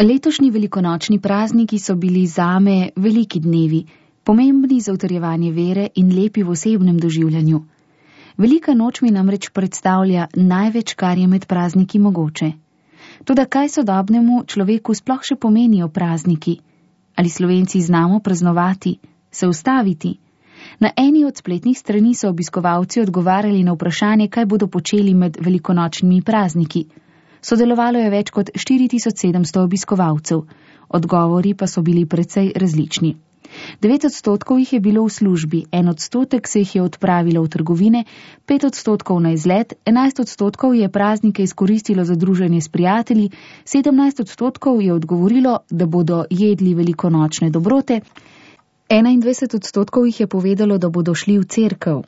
Letošnji velikonočni prazniki so bili zame veliki dnevi, pomembni za utrjevanje vere in lepi v osebnem doživljanju. Velika noč mi namreč predstavlja največ, kar je med prazniki mogoče. Toda kaj sodobnemu človeku sploh še pomenijo prazniki? Ali Slovenci znamo praznovati, se ustaviti? Na eni od spletnih strani so obiskovalci odgovarjali na vprašanje, kaj bodo počeli med velikonočnimi prazniki. Sodelovalo je več kot 4700 obiskovalcev, odgovori pa so bili precej različni. 9% jih je bilo v službi, 1% se jih je odpravilo v trgovine, 5% na izlet, 11% je praznike izkoristilo za druženje s prijatelji, 17% je odgovorilo, da bodo jedli velikonočne dobrote, 21% jih je povedalo, da bodo šli v cerkev.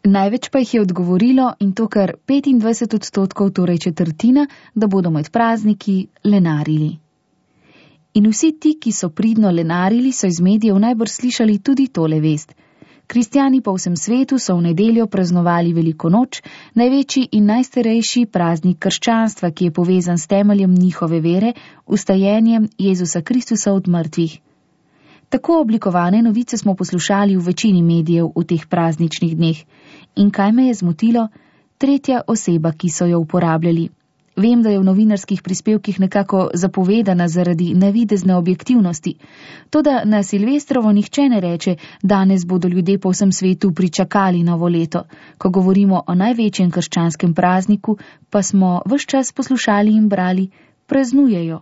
Največ pa jih je odgovorilo, in to kar 25%, torej četrtina, da bodo med prazniki lenarili. In vsi ti, ki so pridno lenarili, so iz medijev najbrž slišali tudi tole vest. Kristjani po vsem svetu so v nedeljo praznovali veliko noč, največji in najstarejši praznik krščanstva, ki je povezan s temeljem njihove vere, vstajenjem Jezusa Kristusa od mrtvih. Tako oblikovane novice smo poslušali v večini medijev v teh prazničnih dneh. In kaj me je zmotilo? Tretja oseba, ki so jo uporabljali. Vem, da je v novinarskih prispevkih nekako zapovedana zaradi navidezne objektivnosti. Toda na Silvestrovo nihče ne reče, danes bodo ljudje po vsem svetu pričakali novo leto. Ko govorimo o največjem krščanskem prazniku, pa smo ves čas poslušali in brali, praznujejo,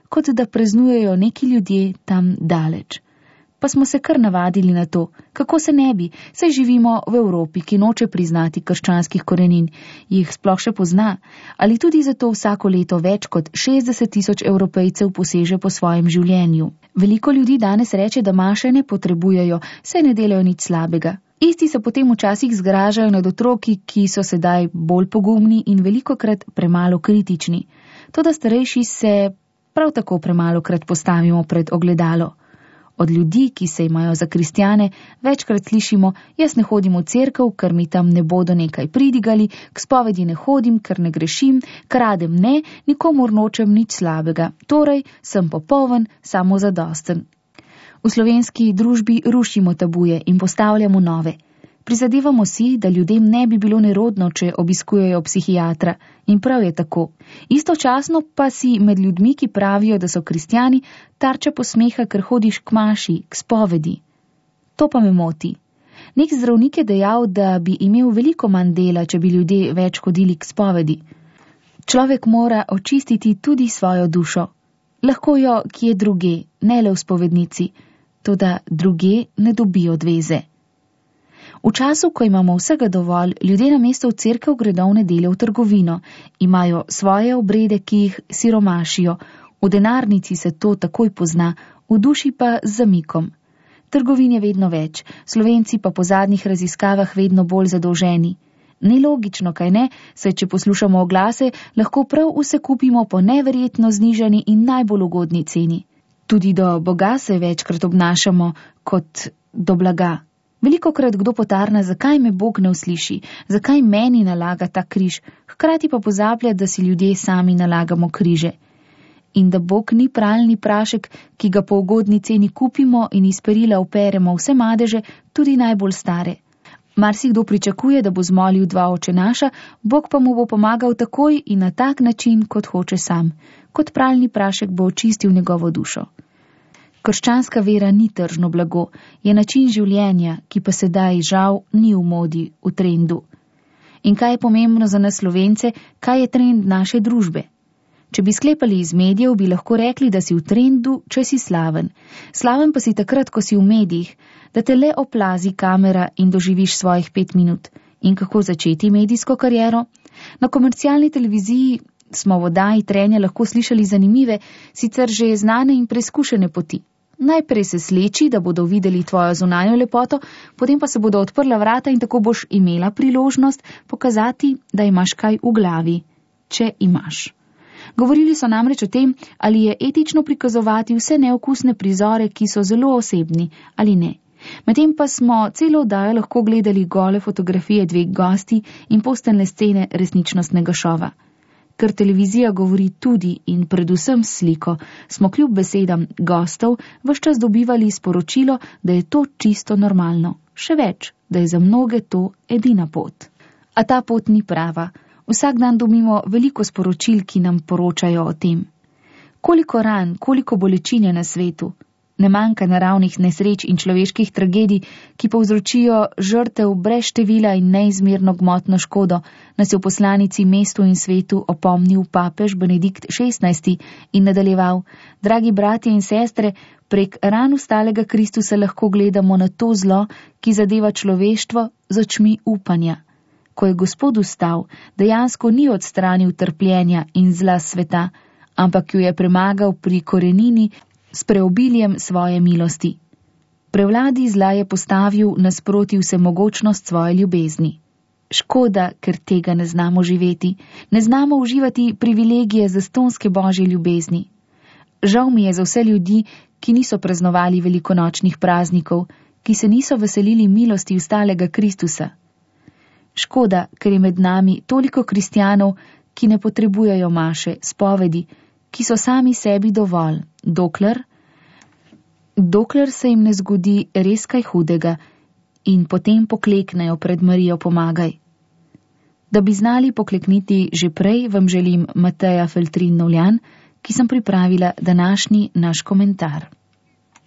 kot da praznujejo neki ljudje tam daleč. Pa smo se kar navadili na to, kako se ne bi, saj živimo v Evropi, ki noče priznati krščanskih korenin, jih sploh še pozna, ali tudi zato vsako leto več kot 60 000 Evropejcev poseže po svojem življenju. Veliko ljudi danes reče, da maše ne potrebujejo, saj ne delajo nič slabega. Isti se potem včasih zgražajo nad otroki, ki so sedaj bolj pogumni in velikokrat premalo kritični. Toda starejši se prav tako premalokrat postavimo pred ogledalo. Od ljudi, ki se imajo za kristjane, večkrat slišimo, jaz ne hodim v cerkev, ker mi tam ne bodo nekaj pridigali, k spovedi ne hodim, ker ne grešim, kradem ne, nikomur nočem nič slabega, torej sem popoln, samozadosten. V slovenski družbi rušimo tabuje in postavljamo nove. Prizadevamo si, da ljudem ne bi bilo nerodno, če obiskujejo psihiatra, in prav je tako. Istočasno pa si med ljudmi, ki pravijo, da so kristjani, tarča posmeha, ker hodiš k maši, k spovedi. To pa me moti. Nek zdravnik je dejal, da bi imel veliko manj dela, če bi ljudje več hodili k spovedi. Človek mora očistiti tudi svojo dušo. Lahko jo kje druge, ne le v spovednici, toda druge ne dobijo odveze. V času, ko imamo vsega dovolj, ljudje namesto v cerkev gredo v nedeljo v trgovino, imajo svoje obrede, ki jih siromašijo, v denarnici se to takoj pozna, v duši pa z zamikom. Trgovin je vedno več, Slovenci pa po zadnjih raziskavah vedno bolj zadolženi. Nelogično, kaj ne, saj če poslušamo oglase, lahko prav vse kupimo po neverjetno znižani in najbolj ugodni ceni. Tudi do Boga se večkrat obnašamo kot do blaga. Velikokrat kdo potarna, zakaj me Bog ne usliši, zakaj meni nalaga ta križ, hkrati pa pozablja, da si ljudje sami nalagamo križe. In da Bog ni pralni prašek, ki ga po ugodni ceni kupimo in iz perila operemo vse madeže, tudi najbolj stare. Marsikdo pričakuje, da bo zmolil 2 očenaša, Bog pa mu bo pomagal takoj in na tak način, kot hoče sam. Kot pralni prašek bo očistil njegovo dušo. Krščanska vera ni tržno blago, je način življenja, ki pa sedaj žal ni v modi, v trendu. In kaj je pomembno za nas Slovence, kaj je trend naše družbe? Če bi sklepali iz medijev, bi lahko rekli, da si v trendu, če si slaven. Slaven pa si takrat, ko si v medijih, da te le oplazi kamera in doživiš svojih 5 minut. In kako začeti medijsko kariero? Na komercialni televiziji smo v oddaji Trenja lahko slišali zanimive, sicer že znane in preizkušene poti. Najprej se sleči, da bodo videli tvojo zunanjo lepoto, potem pa se bodo odprla vrata in tako boš imela priložnost pokazati, da imaš kaj v glavi, če imaš. Govorili so namreč o tem, ali je etično prikazovati vse neokusne prizore, ki so zelo osebni, ali ne. Medtem pa smo celo oddajo lahko gledali gole fotografije 2 gosti in posteljne scene resničnostnega šova. Ker televizija govori tudi in predvsem s sliko, smo kljub besedam gostov ves čas dobivali sporočilo, da je to čisto normalno. Še več, da je za mnoge to edina pot. A ta pot ni prava. Vsak dan dobimo veliko sporočil, ki nam poročajo o tem. Koliko ran, koliko bolečine na svetu. Ne manjka naravnih nesreč in človeških tragedij, ki povzročijo žrtev brez števila in neizmerno gmotno škodo, nas je v poslanici mestu in svetu opomnil papež Benedikt XVI in nadaljeval: dragi bratje in sestre, prek ran ustalega Kristusa lahko gledamo na to zlo, ki zadeva človeštvo, z očmi upanja. Ko je Gospod vstal, dejansko ni odstranil trpljenja in zla sveta, ampak jo je premagal pri korenini s preobiljem svoje milosti. Prevladi zla je postavil nasproti vsemogočnost svoje ljubezni. Škoda, ker tega ne znamo živeti, ne znamo uživati privilegije zastonske božje ljubezni. Žal mi je za vse ljudi, ki niso praznovali velikonočnih praznikov, ki se niso veselili milosti vstalega Kristusa. Škoda, ker je med nami toliko kristjanov, ki ne potrebujejo maše, spovedi, ki so sami sebi dovolj, dokler se jim ne zgodi res kaj hudega in potem pokleknejo pred Marijo pomagaj. Da bi znali poklekniti že prej, vam želim Mateja Feltrin Novljan, ki sem pripravila današnji naš komentar.